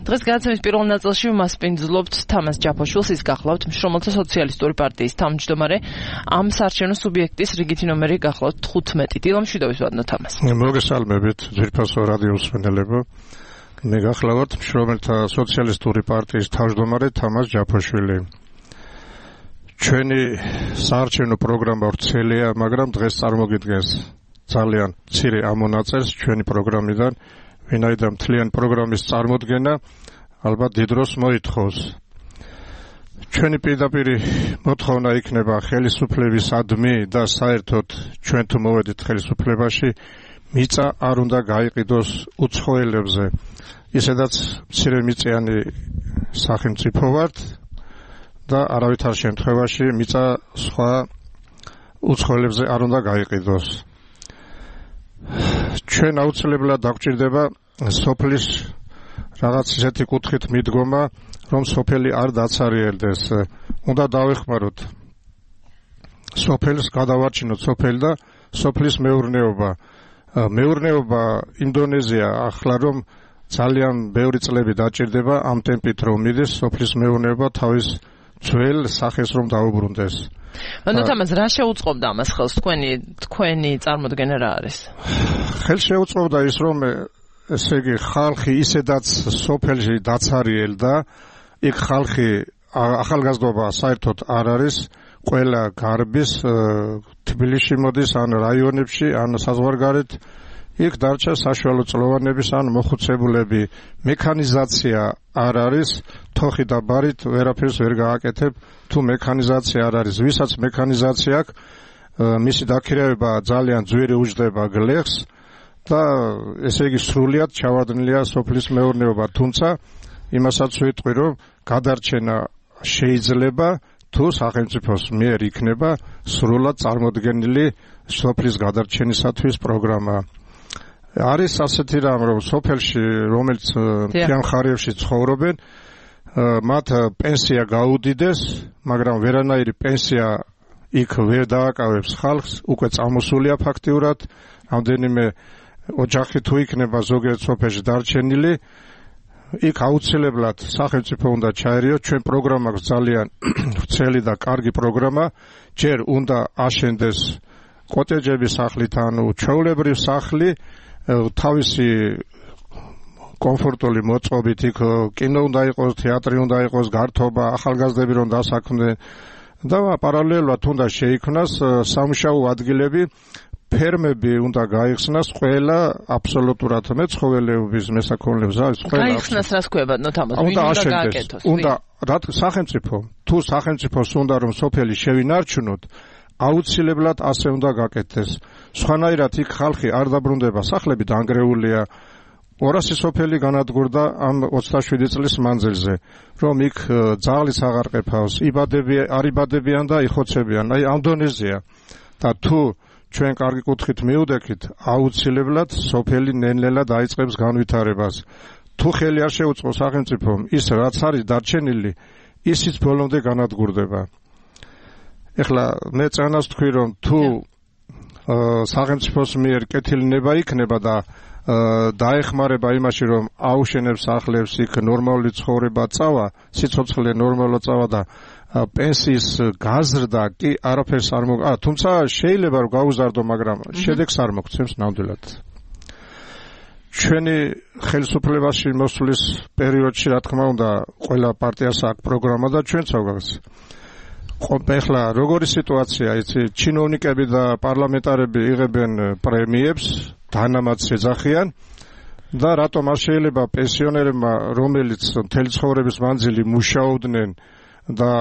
დღეს გადაცემის პირველ ნაწილში მასპინძლობთ თამაზ ჯაფოშვილს, ის გახლავთ მშრომელთა სოციალისტური პარტიის თავმჯდომარე, ამ საარჩევნო სუბიექტის რიგითი ნომერი გახლავთ 15. დილამშვიდობის ვადნო თამაზ. მოგესალმებით ძვირფასო რადიო მსმენელებო. მე გახლავთ მშრომელთა სოციალისტური პარტიის თავმჯდომარე თამაზ ჯაფოშვილი. ჩვენი საარჩევნო პროგრამა ვრცელია, მაგრამ დღეს წარმოგიდგენს ძალიან მცირე ამონაწერს ჩვენი პროგრამიდან. ვინაიდან მთლიანი პროგრამის წარმოდგენა ალბათ დიდ დროს მოითხოვს. ჩვენი პირდაპირი მოთხოვნა იქნება ხელისუფლებისადმი და საერთოდ ჩვენ თუ მოვედით ხელისუფლებაში, მიწა არ უნდა გაიყიდოს უცხოელებზე. ისედაც მცირე მიწიანი სახელმწიფო ვართ და არავითარ შემთხვევაში მიწა სხვა უცხოელებზე არ უნდა გაიყიდოს. ჩვენ აუცილებლად დაგვჭირდება სოფლის რაღაც ისეთი კუთხით მიდგომა, რომ სოფელი არ დაცარიელდეს. უნდა დავეხმაროთ სოფელს, გადავარჩინოთ სოფელი და სოფლის მეურნეობა. მეურნეობა ინდონეზია ახლა რომ ძალიან ბევრი წლები დაჭირდება ამ ტემპით რომ მიდის სოფლის მეურნეობა თავის ძველ სახეს რომ დაუბრუნდეს. ანუ თამაზ რა შეუწყობდა ამას ხელს თქვენი წარმოდგენა რა არის? ხელს შეუწყობდა ის რომ ესე იგი ხალხი ისედაც სოფელში დაცარიელდა, იქ ხალხი ახალგაზრდობა საერთოდ არ არის, ყველა გარბის თბილისში მოდის ან რაიონებში ან საზღვარგარეთ, იქ დარჩა საშუალო წლოვანების ან მოხუცებულები. მექანიზაცია არ არის, თოხი და ბარით ვერაფერს ვერ გააკეთებ თუ მექანიზაცია არ არის. ვისაც მექანიზაცია აქვს, მისი დაქირავება ძალიან ძვირი უჯდება გლეხს და ესე იგი სრულად ჩავარდნილია სოფლის მეურნეობა. თუმცა იმასაც ვიტყვი, რომ გადარჩენა შეიძლება თუ სახელმწიფოს მიერ იქნება სრულად წარმოდგენილი სოფლის გადარჩენისათვის პროგრამა. არის ასეთი რამ, რომ სოფელში, რომელიც მთიან მხარეებში ცხოვრობენ, მათ პენსია გაუდიდეს, მაგრამ ვერანაირი პენსია იქ ვერ დააკავებს ხალხს, უკვე წამოსულია ფაქტიურად, რამდენიმე ოჯახი თუ იქნება ზოგიერთ სოფელში დარჩენილი, იქ აუცილებლად სახელმწიფო უნდა ჩაერიოს. ჩვენ პროგრამა აქვს ძალიან ვრცელი და კარგი პროგრამა, ჯერ უნდა აშენდეს კოტეჯების სახლით, ანუ ჩვეულებრივ სახლი, თავისი კომფორტული მოწყობით, იქ კინო უნდა იყოს, თეატრი უნდა იყოს, გართობა, ახალგაზრდები რომ დასაქმდნენ და პარალელურად უნდა შეიქმნას სამუშაო ადგილები, ფერმები უნდა გაიხსნას ყველა აბსოლუტურად მეცხოველეობის მესაქონლეებს არის ყველა. გაიხსნას რას ქვია ბატონო თამაზ? ვინ უნდა გააკეთოს? უნდა რა სახელმწიფო, თუ სახელმწიფოს უნდა რომ სოფელი შევინარჩუნოთ, აუცილებლად ასე უნდა გაკეთდეს. სხვანაირად იქ ხალხი არ დაბრუნდება, სახლები დანგრეულია. 200 სოფელი განადგურდა ამ 27 წლის მანძილზე, რომ იქ ძაღლიც აღარ ყეფავს, არ იბადებიან და იხოცებიან. აი ამ დონეზეა. და თუ ჩვენ კარგი კუთხით მიუდექით, აუცილებლად სოფელი ნელ-ნელა დაიწყებს განვითარებას. თუ ხელი არ შეუწყო სახელმწიფომ, ის რაც არის დარჩენილი, ისიც ბოლომდე განადგურდება. ეხლა მე წანას თქვი, რომ თუ სახელმწიფოს მიერ კეთილნება იქნება და დაეხმარება იმაში, რომ აუშენებს სახლებს, იქ ნორმალური ცხოვრება წავა, სიცოცხლე ნორმალურად წავა და პენსიის გაზრდა კი არაფერს არ თუმცა შეიძლება რომ გაუზარდო, მაგრამ შედეგს არ მოგცემს ნამდვილად. ჩვენი ხელისუფლებაში მოსვლის პერიოდში, რა თქმა უნდა, ყველა პარტიას აქვს პროგრამა და ჩვენც აქვს. ეხლა როგორი სიტუაცია, იცი, ჩინოვნიკები და პარლამენტარები იღებენ პრემიებს, დანამატს ეძახიან და რატომ არ შეიძლება პენსიონერებმა, რომელიც მთელი ცხოვრების მანძილი მუშაობდნენ და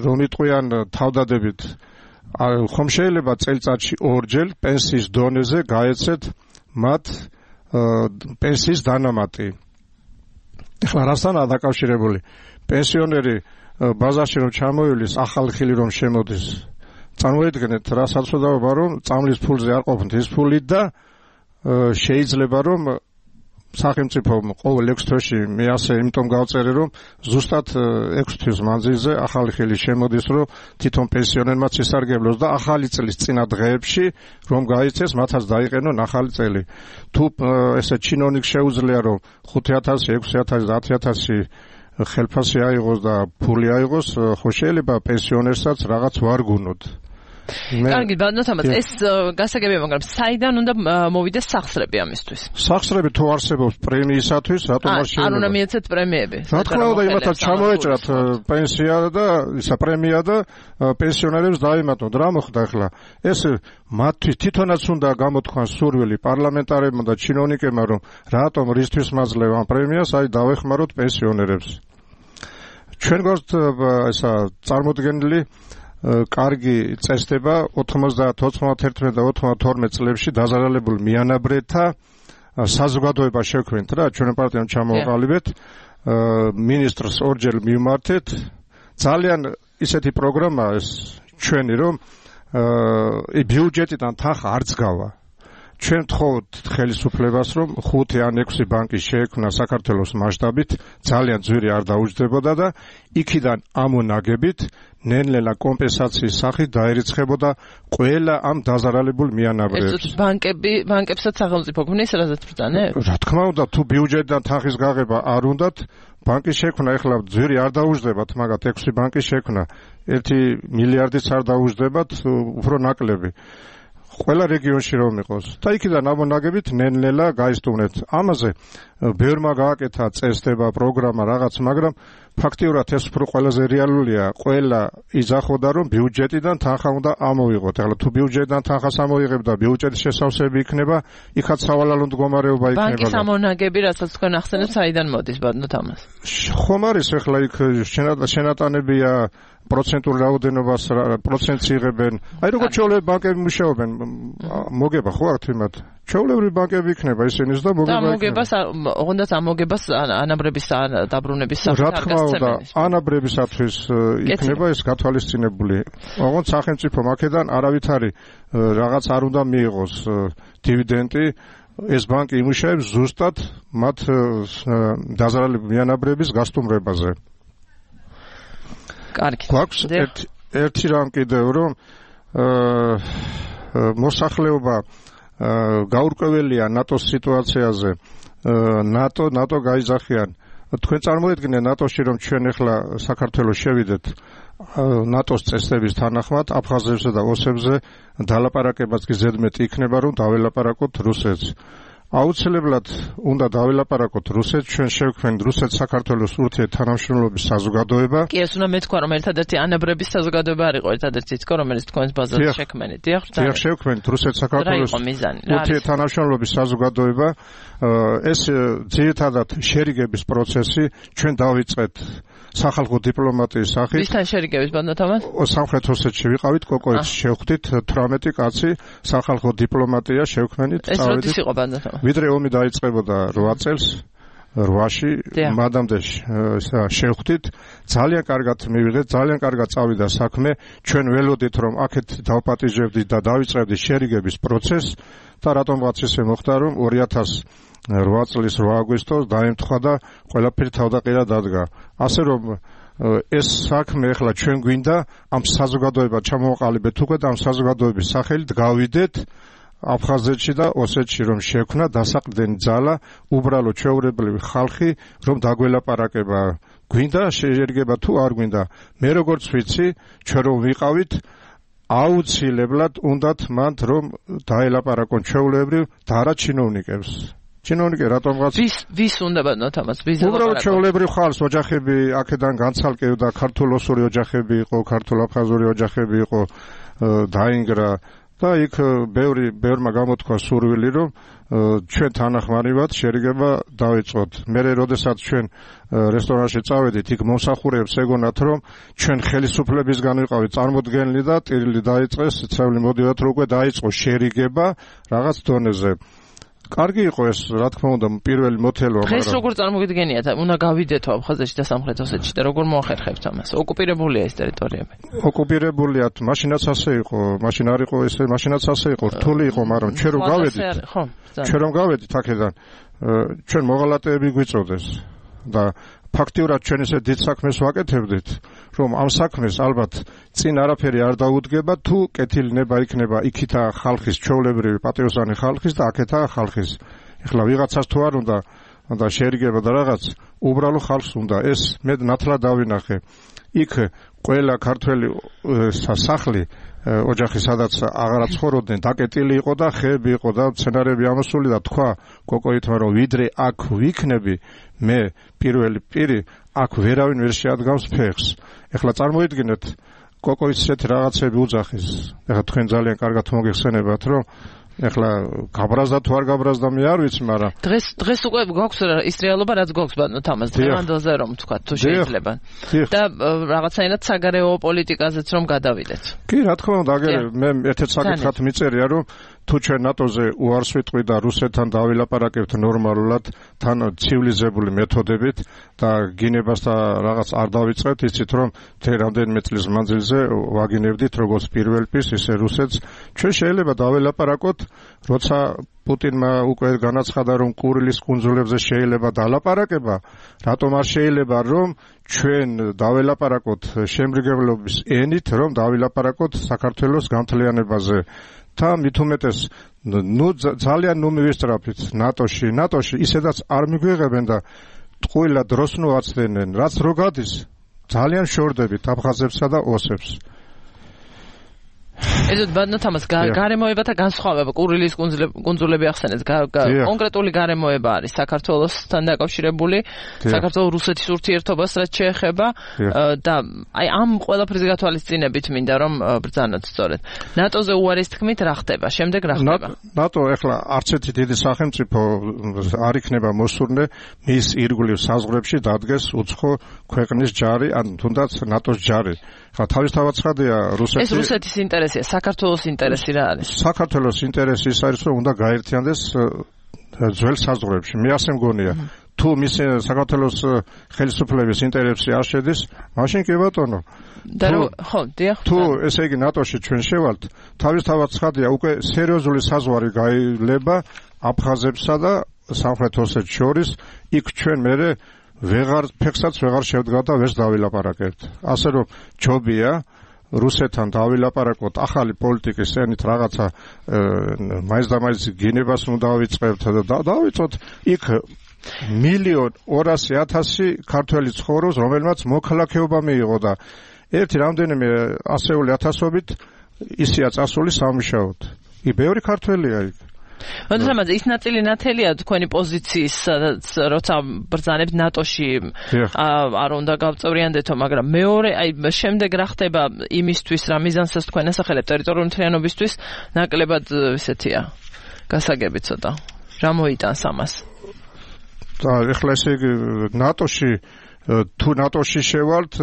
რომ იტყვიან თავდადებით, ხომ შეიძლება წელიწადში ორჯერ პენსიის დონეზე გაეცეთ მათ პენსიის დანამატი. ეხლა რასთანაა დაკავშირებული? პენსიონერი ბაზარში რომ ჩამოივლის, ახალი ხილი რომ შემოდის, წარმოიდგინეთ რა საცოდაობა, რომ წამლის ფულზე არ ყოფნით ის ფული და შეიძლება რომ სახელმწიფომ ყოველ 6 თვეში მე ასე იმიტომ გავწერე რომ ზუსტად 6 თვის მანძილზე ახალი ხილი შემოდის რომ თვითონ პენსიონერმაც ისარგებლოს და ახალი წლის წინა დღეებში რომ გაიცეს მათაც დაიყენონ ახალი წელი. თუ ესე ჩინოვნიკს შეუძლია რომ 5000, 6000, 10000 ხელფასი აიღოს და ფული აიღოს, ხო შეიძლება პენსიონერსაც რაღაც ვარგუნოთ. კარგი, ბანოთამაც ეს გასაგებია, მაგრამ საიდან უნდა მოვიდეს სახსრები ამისთვის? სახსრები თუ არსებობს პრემიისათვის, რატომ არ შეიძლება? არ უნდა მიეცეთ პრემიები. რა თქმა უნდა, იმათაც ჩამოეჭრათ პენსია და ისა პრემია და პენსიონერებს დაემატოთ. რა მოხდა ახლა? ეს მათთვის თვითონაც უნდა გამოთქვან სურვილი პარლამენტარებმა და ჩინოვნიკებმა, რომ რატომ რისთვის მაძლევ ამ პრემიას, აი დავეხმაროთ პენსიონერებს. ჩვენ გვაქვს ესა წარმოდგენილი კარგი წესდება 90-91 და 92 წლებში დაზარალებულ მიანაბრეთა საზოგადოება შევქმნით რა ჩვენ პარტიამ ჩამოვაყალიბეთ მინისტრს ორჯერ მივმართეთ ძალიან ისეთი პროგრამა ეს ჩვენი რომ ბიუჯეტიდან თანხა არ წგავა ჩვენ ვთხოვთ ხელისუფლებას რომ 5 ან 6 ბანკი შეექმნა საქართველოს მასშტაბით ძალიან ძვირი არ დაუჯდებოდა და იქიდან ამონაგებით ნელ-ნელა კომპენსაციის სახით დაერიცხებოდა ყველა ამ დაზარალებულ მიანაბრებს. ეს ბანკებსაც სახელმწიფო გვნის რაზეც ბრძანებს? რა თქმა უნდა, თუ ბიუჯეტიდან თანხის გაღება არ უნდათ, ბანკის შექმნა ეხლა ძვირი არ დაუჯდებათ, მაგათ 6 ბანკის შექმნა 1 მილიარდიც არ დაუჯდებათ, უფრო ნაკლები. ყველა რეგიონში რომ იყოს და იქიდან ამონაგებით ნელ-ნელა გაისტუმნეთ. ამაზე ბევრმა გააკეთა წესდება, პროგრამა რაღაც, მაგრამ ფაქტიურად ეს უფრო ყველაზე რეალურია. ყველა იძახოდა რომ ბიუჯეტიდან თანხა უნდა ამოიღოთ. ახლა თუ ბიუჯეტიდან თანხას ამოიღებ და ბიუჯეტის შესავსები იქნება, იქაც სავალალო მდგომარეობა იქნება. ბანკის ამონაგები, რასაც თქვენ ახსენებთ, საიდან მოდის ბატონო თამას? ხომ არის ახლა იქ შენატანებია პროცენტულ რაოდენობას პროცენტს იღებენ. აი როგორ ჩვეულებრივი ბანკები მუშაობენ, მოგება ხო არ თვიმათ? ჩვეულებრივი ბანკები იქნება ისინიც და მოგებას ოღონდ ამოგებას ანაბრების დაბრუნების სახით რა თქმა უნდა, ანაბრებისათვის იქნება ეს გათვალისწინებული. ოღონდ სახელმწიფო აქედან არავითარი რაღაც არ უნდა მიიღოს დივიდენდი. ეს ბანკი იმუშავებს ზუსტად მათ დაზარალებულ მიანაბრების გასტუმრებაზე. კარგი. გვაქვს ერთი რამ კიდევ რომ მოსახლეობა გაურკვეველია ნატოს სიტუაციაზე. ნატო გაიძახიან. თქვენ წარმოედგინეთ ნატოში რომ ჩვენ ახლა საქართველოს შევიდეთ ნატოს წესების თანახმად აფხაზეთსა და ოსებზე დალაპარაკებაც კი ზედმეტი იქნება რომ დაველაპარაკოთ რუსეთს. აუცილებლად უნდა დაველაპარაკოთ რუსეთს, ჩვენ შევქმნით რუსეთ-საქართველოს ურთიერთთანამშრომლობის საზოგადოება. კი, ეს უნდა მეთქვა, რომ ერთადერთი ანაბრების საზოგადოება არ იყო, ერთადერთი თქო, რომელიც თქვენს ბაზაზე შექმნით. დიახ, შევქმნით რუსეთ-საქართველოს ურთიერთთანამშრომლობის საზოგადოება. ეს ძირითადად შერიგების პროცესი ჩვენ დავიწყეთ სახალხო დიპლომატიის სახით. ვისთან შერიგების ბატონო თამას? სამხრეთ ოსეთში ვიყავით, კოკოეთში შევხვდით 18 კაცი სახალხო დიპლომატია შევქმნით. ეს როდის იყო ბატონო თამას? ვიდრე ომი დაიწყებოდა 8 წელს 8-ში მადამდე შევხვდით, ძალიან კარგად მივიღეთ, ძალიან კარგად წავიდა საქმე. ჩვენ ველოდით რომ აქეთ დავპატიჟებდით და დავიწყებდით შერიგების პროცესს და რატომღაც ისე მოხდა რომ 2008 წლის 8 აგვისტოს დაემთხვა და ყველაფერი თავდაყირა დადგა. ასე რომ ეს საქმე ახლა ჩვენ გვინდა ამ საზოგადოებად ჩამოვაყალიბეთ უკვე და ამ საზოგადოების სახელით გავიდეთ აფხაზეთში და ოსეთში რომ შექმნა დასაყრდენი ძალა, უბრალო ჩვეულებრივი ხალხი რომ დაგველაპარაკება. გვინდა შეერგება თუ არ გვინდა. მე როგორც ვიცი, ჩვენ რომ ვიყავით აუცილებლად უნდათ მანდ რომ დაელაპარაკონ ჩვეულებრივ და არა ჩინოვნიკებს. ჩინოვნიკე რატომღაც ვის უნდა ბატონო თამას ვის უბრალოდ ჩვეულებრივ ხალხს ოჯახები აქედან განცალკევდა ქართულ-ოსური ოჯახები იყო ქართულ-აფხაზური ოჯახები იყო დაინგრა და იქ ბევრმა გამოთქვა სურვილი რომ ჩვენ თანახმარივად შერიგება დავიწყოთ. მე როდესაც ჩვენ რესტორანში წავედით იქ მომსახურეებს ეგონათ რომ ჩვენ ხელისუფლებისგან ვიყავით წარმოდგენილი და ტირილი დაიწყეს ცევლი მოდივათ რომ უკვე დაიწყო შერიგება რაღაც დონეზე. კარგი იყო ეს, რა თქმა უნდა, პირველი მოთელვა, მაგრამ დღეს როგორ წარმოგიდგენიათ, უნდა გავიდეთო აფხაზეთში და სამხრეთ ოსეთში და როგორ მოახერხებთ ამას? ოკუპირებულია ეს ტერიტორიები. ოკუპირებულიათ, მაშინაც ასე იყო, მაშინ არ იყო ესე, მაშინაც ასე იყო, რთული იყო, მაგრამ ჩვენ რომ გავედით აქედან ჩვენ მოღალატეები გვიწოდეს და ფაქტიურად ჩვენ ესე დიდ საქმეს ვაკეთებდით, რომ ამ საქმეს ალბათ წინ არაფერი არ დაუდგება, თუ კეთილი ნება იქნება იქითა ხალხის ჩვეულებრივი პატრიოტული ხალხის და აქეთა ხალხის. ეხლა ვიღაცას თუ არ უნდა შეერიგება და რაღაც უბრალო ხალხს უნდა ეს მე ნათლად დავინახე. იქ ყველა ქართველი სახლი ოჯახი სადაც აღარა ცხოვრობდნენ დაკეტილი იყო და ხეები იყო და მცენარეები ამოსული და თქვა კოკოითმა რომ ვიდრე აქ ვიქნები მე პირველი პირი აქ ვერავინ ვერ შეადგავს ფეხს. ეხლა წარმოიდგინეთ კოკოის ესეთი რაღაცები უძახის. ეხლა თქვენ ძალიან კარგად მოგეხსენებათ რომ ეხლა გაბრაზდა თუ არ გაბრაზდა მე არ ვიცი, მაგრამ დღეს უკვე გვაქვს ის რეალობა რაც გვაქვს ბატონო თამაზ დღევანდელზე რომ თქვა თუ შეიძლება და რაღაცაინად საგარეო პოლიტიკაზეც რომ გადავიდეთ. კი რა თქმა უნდა აგერ მე ერთ-ერთ საკითხად მიწერია რომ თუ ჩვენ ნატოზე უარს ვიტყვი და რუსეთთან დავილაპარაკებთ ნორმალურად თან ცივილიზებული მეთოდებით და გინებას და რაღაც არ დავიწყებთ იცით რომ რამდენიმე წლის მანძილზე ვაგინებდით როგორც პირველ პირს ისე რუსეთს ჩვენ შეიძლება დავილაპარაკოთ როცა პუტინმა უკვე განაცხადა რომ კურილის კუნძულებზე შეიძლება დალაპარაკება რატომ არ შეიძლება რომ ჩვენ დავილაპარაკოთ შემრიგებლობის ენით რომ დავილაპარაკოთ საქართველოს განთლიანებაზე და მით უმეტეს ძალიან მივისწრაფით ნატოში ისედაც არ მიგვიღებენ და ტყუილად დროს ნუაცდენენ რაც რო გადის ძალიან შორდებით აფხაზებსა და ოსებს. ეზოდ ბატონო თამაზ გარემოებათა განსხვავება კურილის კუნძულები ახსენეთ კონკრეტული გარემოება არის საქართველოსთან დაკავშირებული საქართველოს რუსეთის ურთიერთობას რაც შეეხება და აი ამ ყველაფრის გათვალისწინებით მინდა რომ ბრძანოთ სწორედ ნატოზე უარის თქმით რა ხდება შემდეგ რა ხდება ნატო ეხლა არც ერთი დიდი სახელმწიფო არ იქნება მოსურნე მის ირგვლივ საზღვრებში დადგეს უცხო ქვეყნის ჯარი ან თუნდაც ნატოს ჯარი. თავისთავად ცხადია რუსეთი ეს რუსეთის ინტერესია საქართველოს ინტერესი რა არის საქართველოს ინტერესი ის არის რომ უნდა გაერთიანდეს ძველ საზღვრებში მე ასე მგონია თუ მის საქართველოს ხელისუფლების ინტერესში არ შედის მაშინ კი ბატონო თუ ესე იგი ნატოში ჩვენ შევალთ თავისთავად ცხადია უკვე სერიოზული საზღვარი გაილება აფხაზებსა და სამხრეთ ოსეთს შორის იქ ჩვენ მერე ფეხსაც ვეღარ შევდგა და ვერც დავილაპარაკებთ. ასე რომ ჯობია რუსეთთან დავილაპარაკოთ ახალი პოლიტიკის ენით რაღაცა მაინც და მაინც გინებას უნდა დავიწყებთ და დავიწყოთ იქ 1,200,000 ქართველი ცხოვრობს რომელმაც მოქალაქეობა მიიღო და ერთი რამდენიმე ასეული ათასობით ისია წასული სამუშაოდ. იქ ბევრი ქართველია იქ. თამაზ ის ნაწილი ნათელია თქვენი პოზიციის როცა ბრძანებთ ნატოში არ უნდა გავწევრიანდეთო მაგრამ მეორე აი შემდეგ რა ხდება იმისთვის რა მიზანსაც თქვენ ასახელებთ ტერიტორიული მთლიანობისთვის ნაკლებად ესეთია გასაგები ცოტა რა მოიტანს ამას და ეხლა ესე იგი ნატოში თუ ნატოში შევალთ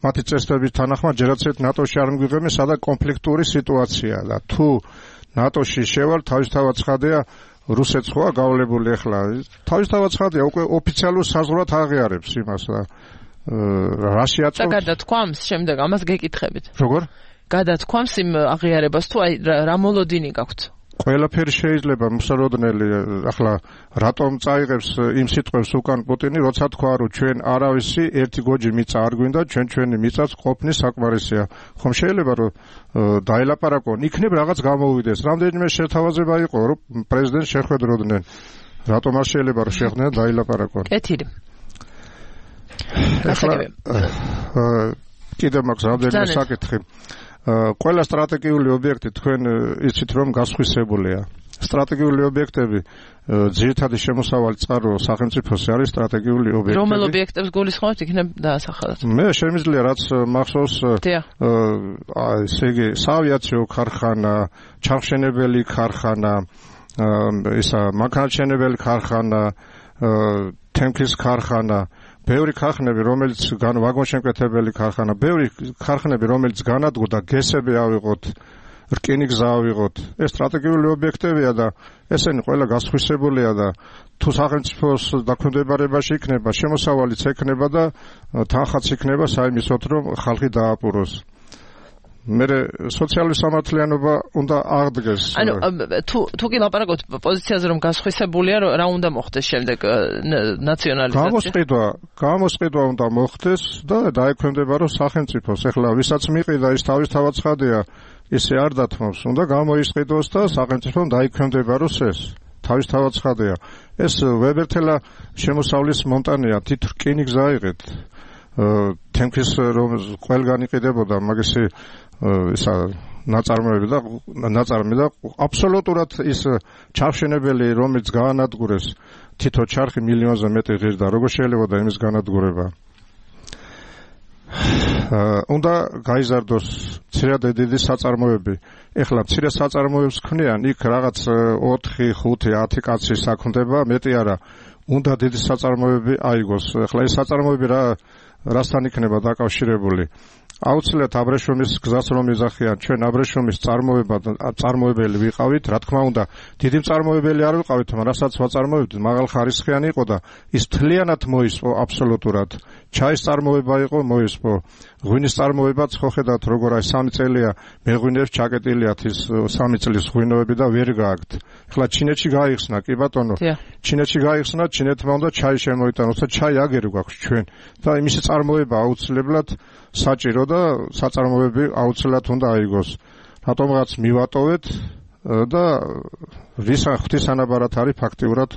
მათი წესდების თანახმად ჯერაცეთ ნატოში არ მიგვიღებენ სადაც კონფლიქტური სიტუაცია და თუ ნატოში შევალ თავისთავად ცხადია რუსეთს ხოა გავლებული ახლა თავისთავად ცხადია უკვე ოფიციალურ საზღვრად აღიარებს იმას და რაში აწევს და გადათქვამს შემდეგ ამას გეკითხებით როგორ გადათქვამს იმ აღიარებას თუ აი რა მოლოდინი გაქვთ ყველაფერი შეიძლება მოსალოდნელი ახლა რატომ წაიღებს იმ სიტყვებს უკან პუტინი როცა თქვა რომ ჩვენ არავისი ერთი გოჯი მიწა არ გვინდა ჩვენი მიწაც ყოფნის საკმარისია ხომ შეიძლება რომ დაელაპარაკონ იქნებ რაღაც გამოვიდეს რამდენიმე შეთავაზება იყო რომ პრეზიდენტს შეხვედროდნენ რატომ არ შეიძლება რომ შეხვდნენ დაელაპარაკონ კეთილი კიდევ მაქვს რამდენიმე საკითხი ყველა სტრატეგიული ობიექტი თქვენ იცით რომ გასხვისებულია სტრატეგიული ობიექტები ძირითადი შემოსავალი წყარო სახელმწიფოსი არის სტრატეგიული ობიექტები რომელ ობიექტებს გულისხმობთ იქნებ დაასახელოთ მე შემიძლია რაც მახსოვს ესე იგი საავიაციო ქარხანა ჩამხშენებელი ქარხანა ისა მანქანათმშენებელი ქარხანა თემქის ქარხანა ბევრი ქარხნები რომელიც ვაგონშემკვეთებელი ქარხანა ბევრი ქარხნები რომელიც განადგურდა გესები ავიღოთ რკინიგზა ავიღოთ ეს სტრატეგიული ობიექტებია და ესენი ყველა გასხვისებულია და თუ სახელმწიფოს დაქვემდებარებაში იქნება შემოსავალიც ექნება და თანხაც იქნება საიმისოთ რომ ხალხი დააპუროს მე სოციალური სამართლიანობა უნდა აღდგეს. ანუ თუ კი ლაპარაკობთ პოზიციაზე რომ გასხვისებულია რა უნდა მოხდეს შემდეგ ნაციონალიზაცია? გამოსყიდვა უნდა მოხდეს და დაექვემდებარო სახელმწიფოს. ეხლა ვისაც მიყიდა ის თავისთავად ცხადია, ისე არ დათმობს, უნდა გამოისყიდოს და სახელმწიფომ დაექვემდებაროს ეს. თავისთავად ცხადია. ეს ვებერთელა შემოსავლის მონტანეა, თვით რკინიგზა აიღეთ. თემქის რომ ყველგან იყიდებოდა მაგისი ისა ნაწარმოები და აბსოლუტურად ის ჩარხშენებელი რომელიც გაანადგურეს თითო ჩარხი მილიონზე მეტი ღირდა როგორ შეიძლება და იმის განადგურება უნდა გაიზარდოს მცირე და დიდი საწარმოები ეხლა მცირე საწარმოებს ქმნიან იქ რაღაც 4, 5, 10 კაცი საქმდება მეტი არა უნდა დიდი საწარმოები აიგოს ეხლა ეს საწარმოები რასთან იქნება დაკავშირებული აუცილებლად აბრეშუმის გზას რომ იზახიან ჩვენ აბრეშუმის წარმოებელი ვიყავით რა თქმა უნდა დიდი მწარმოებელი არ ვიყავით მაგრამ რასაც ვაწარმოებდით მაღალხარისხიანი იყო და ის თლიანად მოისპო აბსოლუტურად ჩაის წარმოება იყო მოისპო ღვინის წარმოებაც ხო ხედავთ როგორ აი 3 წელია მეღვინეებს ჩაკეტილიათ ის 3 წლის ღვინოები და ვერ გააქვთ ეხლა ჩინეთში გაიხსნა კი ბატონო ჩინეთში გაიხსნა ჩინეთმა უნდა ჩაი შემოიტანოს და ჩაი აგერი გვაქვს ჩვენ და იმისი წარმოება აუცილებლად საჭირო და საწარმოები აუცილებლად უნდა აიგოს. რატომღაც მივატოვეთ და ღვთისანაბარად არის ფაქტიურად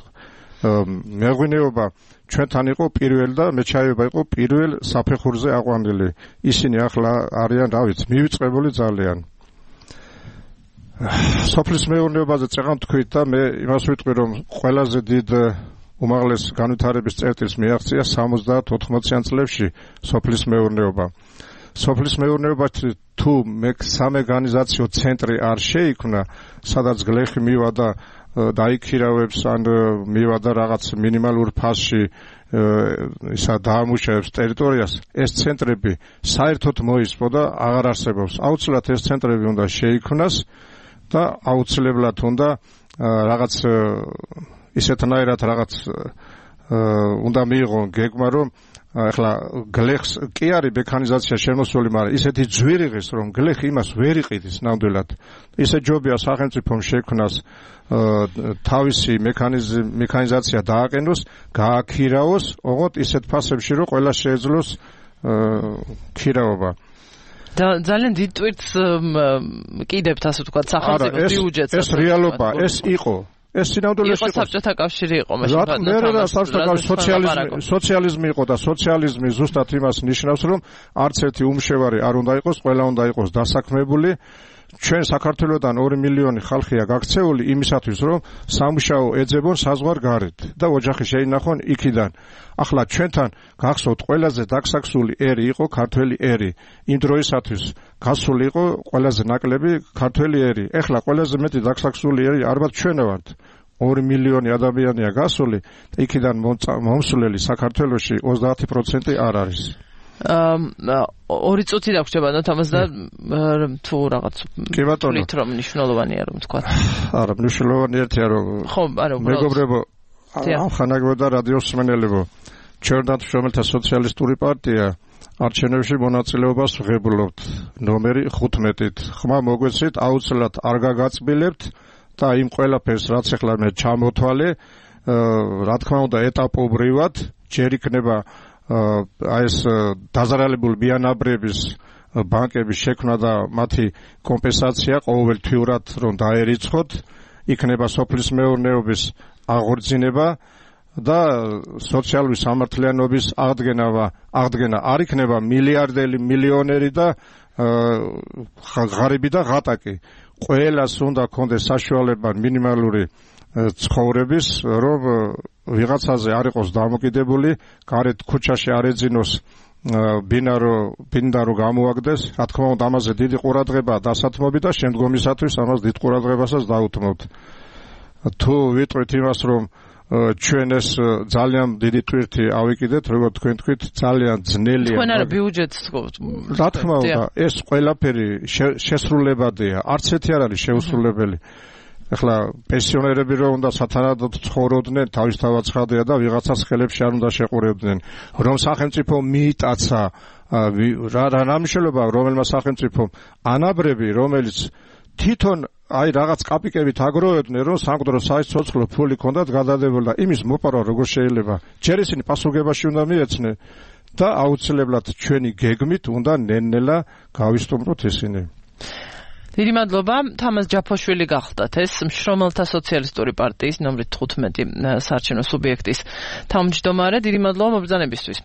მეღვინეობა ჩვენთან იყო პირველ და მეჩაიება იყო პირველ საფეხურზე აყვანილი. ისინი ახლა არიან, რა ვიცი, მივიწყებული ძალიან. სოფლის მეურნეობაზე წეღან თქვით და მე იმას ვიტყვი რომ ყველაზე დიდ უმაღლეს განვითარების წერტილს მიაღწია 70-80-იან წლებში სოფლის მეურნეობა. სოფლის მეურნეობაში თუ სამეგანიზაციო ცენტრი არ შეიქმნა, სადაც გლეხი მივა და დაიქირავებს ან მივა და რაღაც მინიმალურ ფასში ისა დაამუშავებს ტერიტორიას, ეს ცენტრები საერთოდ მოისპო და აღარ არსებობს. აუცილებლად ეს ცენტრები უნდა შეიქმნას და აუცილებლად უნდა რაღაც ისეთნაირად რაღაც უნდა მიიღონ გეგმა რომ ახლა გლეხს კი არის მექანიზაცია შემოსული, მაგრამ ისეთი ძვირიღის რომ გლეხი იმას ვერ იყიდის ნამდვილად. ისე ჯობია სახელმწიფომ შექმნას თავისი მექანიზაცია დააყენოს, გააქირავოს, ოღონდ ისეთ ფასებში რომ ყველა შეეძლოს ქირავობა. და ძალიან დიდ ტვირთს კიდევთ ასე ვთქვათ სახელმწიფოს ბიუჯეტს. ეს რეალობა, ეს იყო ეს სინამდვილეში იყო საბჭოთა კავშირი იყო მაშინ და საბჭოთა კავშირი სოციალიზმი იყო და სოციალიზმი ზუსტად იმას ნიშნავს რომ არც ერთი უმშევარი არ უნდა იყოს, ყველა უნდა იყოს დასაქმებული. ჩვენ საქართველოსთან 2 მილიონი ხალხია გაქცეული იმისათვის რომ სამუშაო ეძებონ საზღვარ გარეთ და ოჯახი შეინახონ იქიდან. ახლა ჩვენთან გახსოვთ ყველაზე დაგსაქსული ერი იყო ქართველი ერი. იმ დროისათვის გასული იყო ყველაზე ნაკლები ქართველი ერი. ახლა ყველაზე მეტი დაგსაქსული ერი ალბათ ჩვენ ვართ. 2 მილიონი ადამიანია გასული და იქიდან მომსვლელი საქართველოში 30% არ არის. 2 წუთი დაგვრჩება თამას და თუ რაღაც კი ბატონო რომ მნიშვნელოვანია რომ თქვა. არა მნიშვნელოვანი ერთია რომ ხო არა მეგობრებო ახანაგებო და რადიოს მსმენელებო ჩვენთან შრომელთა სოციალისტური პარტია არჩევნებში მონაწილეობას ვღებულობთ ნომერი 15-ით. ხმა მოგვეცით აუცილებლად არ გაგაწბილებთ და იმ ყველაფერს რაც ახლა მე ჩამოთვალე რა თქმა უნდა ეტაპობრივად ჯერ იქნება აი ეს დაზარალებული ბიანაბრების ბანკების შექმნა და მათი კომპენსაცია ყოველთვიურად რომ დაერიცხოთ, იქნება სოფლის მეურნეობის აღორძინება და სოციალური სამართლიანობის აღდგენა არ იქნება მილიარდელი მილიონერი და ღარიბი და ღატაკი. ყველას უნდა კონდეს საშუალება მინიმალური ცხოვრების რომ ვიღაცაზე არ იყოს დამოკიდებული, გარეთ ქუჩაში არ ეძინოს ბინდა რო გამოაგდეს, რა თქმა უნდა ამაზე დიდი ყურადღება დასათმობი და შემდგომისათვის ამას დიდ ყურადღებასაც დაუთმობთ. თუ ვიტყვით იმას რომ ჩვენ ეს ძალიან დიდი ტვირთი ავიკიდეთ, როგორც თქვენ თქვით, ძალიან ძნელია. თქვენ არა ბიუჯეტს რა თქმა უნდა, ეს ყველაფერი შესრულებადია, არც ერთი არ არის შეუსრულებელი. ეხლა პენსიონერები რომ უნდა სათანადოდ ცხოვრობდნენ, თავისთავად ცხადია და ვიღაცას ხელებში არ უნდა შეყურებდნენ, რომ სახელმწიფო მიიტაცა რა მნიშვნელობა რომელმა სახელმწიფომ ანაბრები, რომელიც თვითონ აი რაღაც კაპიკებით აგროვებდნენ, რომ სამკვდრო საიცოცხლო ფული ქონდათ გადადებული და იმის მოპარვა როგორ შეიძლება? ჯერ ისინი პასუხებაში უნდა მიეცნენ და აუცილებლად ჩვენი გეგმით უნდა ნელ-ნელა გავისტუმროთ ისინი. დიდი მადლობა, თამაზ ჯაფოშვილი გახლდათ ეს მშრომელთა სოციალისტური პარტიის ნომრით 15 საარჩევნო სუბიექტის თავმჯდომარე. დიდი მადლობა მობრძანებისთვის.